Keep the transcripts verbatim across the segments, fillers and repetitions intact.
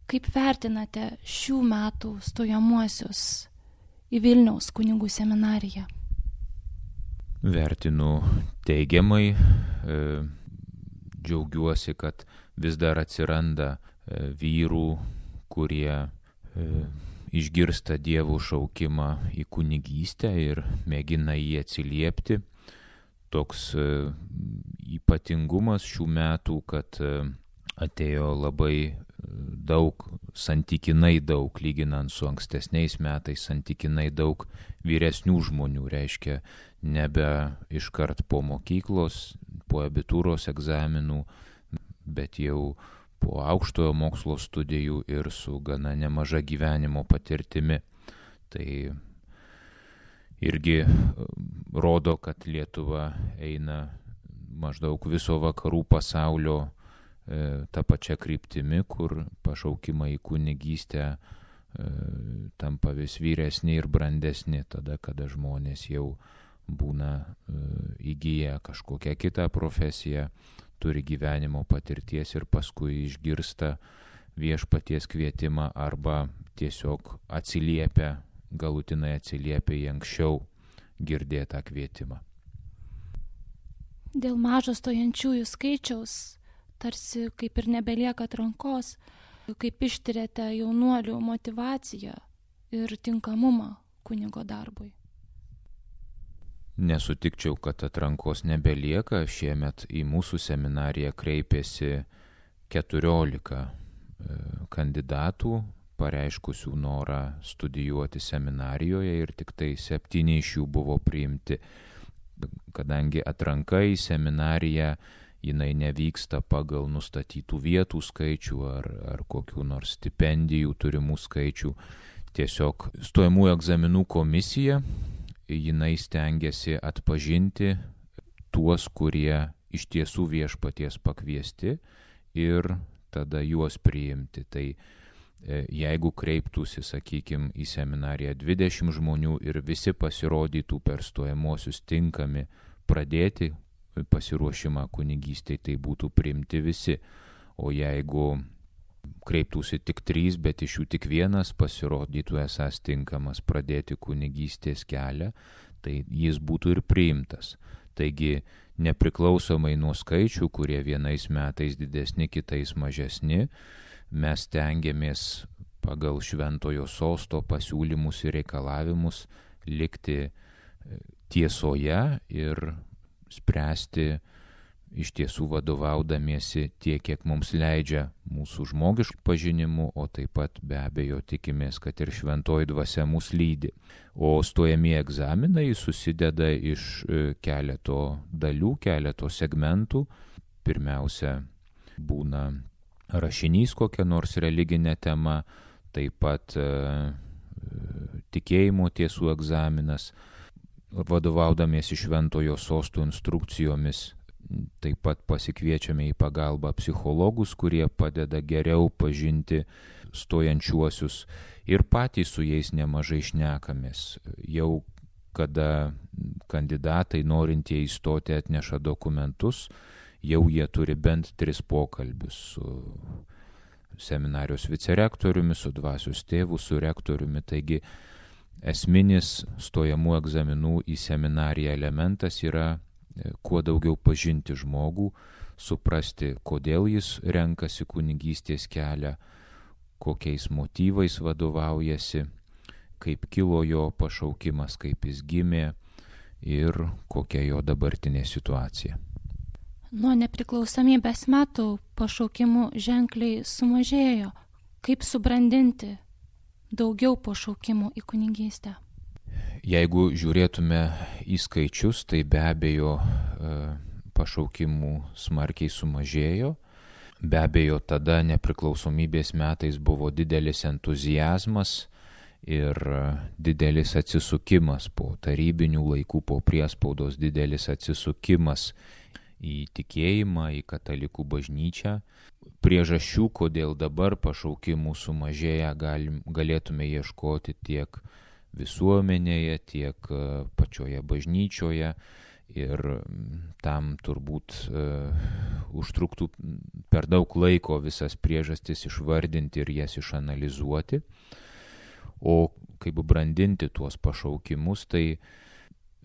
Kaip vertinate šių metų stojamuosius į Vilniaus kunigų seminariją? Vertinu teigiamai, e, džiaugiuosi, kad vis dar atsiranda e, vyrų, kurie e, išgirsta Dievo šaukimą į kunigystę ir mėgina jį atsiliepti. Toks e, ypatingumas šių metų, kad e, atėjo labai daug, santykinai daug, lyginant su ankstesniais metais, santykinai daug vyresnių žmonių, reiškia nebe iškart po mokyklos, po abitūros egzaminų, bet jau po aukštojo mokslo studijų ir su gana nemaža gyvenimo patirtimi. Tai irgi rodo, kad Lietuva eina maždaug viso vakarų pasaulio tą pačią kryptimį, kur pašaukimai į kunigystę e, tampa vis vyresni ir brandesni, tada, kada žmonės jau būna e, įgyję kažkokią kitą profesiją, turi gyvenimo patirties ir paskui išgirsta viešpaties kvietimą arba tiesiog atsiliepia, galutinai atsiliepia į anksčiau girdėtą kvietimą. Dėl mažo stojančiųjų skaičiaus tarsi kaip ir nebelieka atrankos, kaip ištiriate jaunuolių motyvaciją ir tinkamumą kunigo darbui. Nesutikčiau, kad atrankos nebelieka. Šiemet į mūsų seminariją kreipėsi keturiolika kandidatų, pareiškusių norą studijuoti seminarijoje ir tik tai septyni iš jų buvo priimti. Kadangi atranka į seminariją jinai nevyksta pagal nustatytų vietų skaičių ar, ar kokių nors stipendijų turimų skaičių. Tiesiog stojamųjų egzaminų komisija, jinai stengiasi atpažinti tuos, kurie iš tiesų viešpaties pakviesti ir tada juos priimti. Tai jeigu kreiptųsi, sakykime, į seminariją dvidešimt žmonių ir visi pasirodytų per stojamuosius tinkami pradėti pasiruošimą kunigystei, tai būtų priimti visi. O jeigu kreiptųsi tik trys, bet iš jų tik vienas pasirodytų esąs tinkamas pradėti kunigystės kelią, tai jis būtų ir priimtas. Taigi, nepriklausomai nuo skaičių, kurie vienais metais didesni, kitais mažesni, mes stengiamės pagal šventojo sosto pasiūlymus ir reikalavimus likti tiesoje ir spręsti iš tiesų vadovaudamiesi tiek, kiek mums leidžia mūsų žmogiškų pažinimų, o taip pat be abejo tikimės, kad ir šventoji dvasia mus lydi. O stojamieji egzaminai susideda iš keleto dalių, keleto segmentų. Pirmiausia, būna rašinys kokia nors religinė tema, taip pat e, tikėjimo tiesų egzaminas, vadovaudamiesi šventojo sosto instrukcijomis, taip pat pasikviečiame į pagalbą psichologus, kurie padeda geriau pažinti stojančiuosius ir patys su jais nemažai šnekamės. Jau kada kandidatai norintieji įstoti atneša dokumentus, jau jie turi bent tris pokalbius su seminarijos vicerektoriumi, su dvasios tėvu, su rektoriumi. Taigi esminis stojamų egzaminų į seminariją elementas yra kuo daugiau pažinti žmogų, suprasti, kodėl jis renkasi kunigystės kelią, kokiais motyvais vadovaujasi, kaip kilo jo pašaukimas, kaip jis gimė ir kokia jo dabartinė situacija. Nuo nepriklausomybės metų pašaukimų ženkliai sumažėjo. Kaip subrandinti daugiau pašaukimų į kunigystę? Jeigu žiūrėtume į skaičius, tai be abejo pašaukimų smarkiai sumažėjo. Be abejo, tada nepriklausomybės metais buvo didelis entuziazmas ir didelis atsisukimas po tarybinių laikų, po priespaudos didelis atsisukimas į tikėjimą, į katalikų bažnyčią. Priežasčių, kodėl dabar pašaukimų sumažėja, galim, galėtume ieškoti tiek visuomenėje, tiek pačioje bažnyčioje. Ir tam turbūt uh, užtruktų per daug laiko visas priežastis išvardinti ir jas išanalizuoti. O kaip brandinti tuos pašaukimus, tai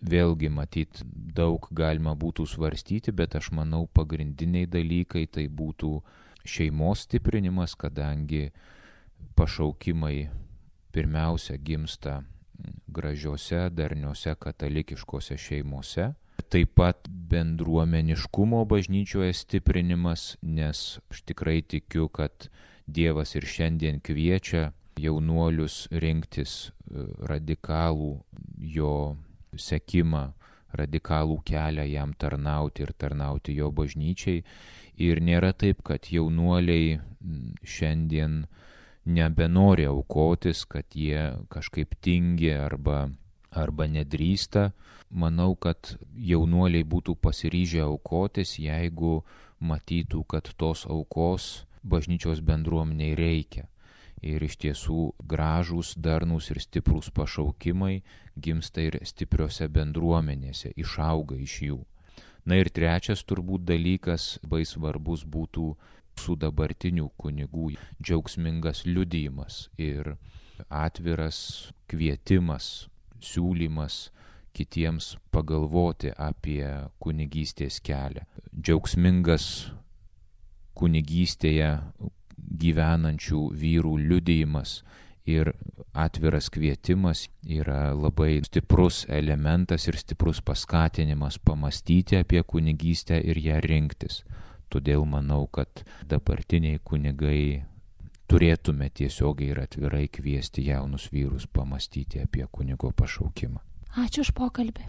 vėlgi matyt daug galima būtų svarstyti, bet aš manau pagrindiniai dalykai tai būtų šeimos stiprinimas, kadangi pašaukimai pirmiausia gimsta gražiose, darniose katalikiškose šeimose. Taip pat bendruomeniškumo bažnyčioje stiprinimas, nes aš tikrai tikiu, kad Dievas ir šiandien kviečia jaunuolius rinktis radikalų jo sekimą, radikalų kelią jam tarnauti ir tarnauti jo bažnyčiai. Ir nėra taip, kad jaunuoliai šiandien nebenori aukotis, kad jie kažkaip tingi arba, arba nedrįsta. Manau, kad jaunuoliai būtų pasiryžę aukotis, jeigu matytų, kad tos aukos bažnyčios bendruomeniai reikia. Ir iš tiesų gražūs, darnūs ir stiprūs pašaukimai gimsta ir stipriose bendruomenėse, išauga iš jų. Na ir trečias turbūt dalykas, labai svarbus būtų su dabartinių kunigų džiaugsmingas liudijimas ir atviras kvietimas, siūlymas kitiems pagalvoti apie kunigystės kelią. Džiaugsmingas kunigystėje gyvenančių vyrų liudijimas ir atviras kvietimas yra labai stiprus elementas ir stiprus paskatinimas pamastyti apie kunigystę ir ją rinktis. Todėl manau, kad dabartiniai kunigai turėtume tiesiogiai ir atvirai kviesti jaunus vyrus pamastyti apie kunigo pašaukimą. Ačiū už pokalbį.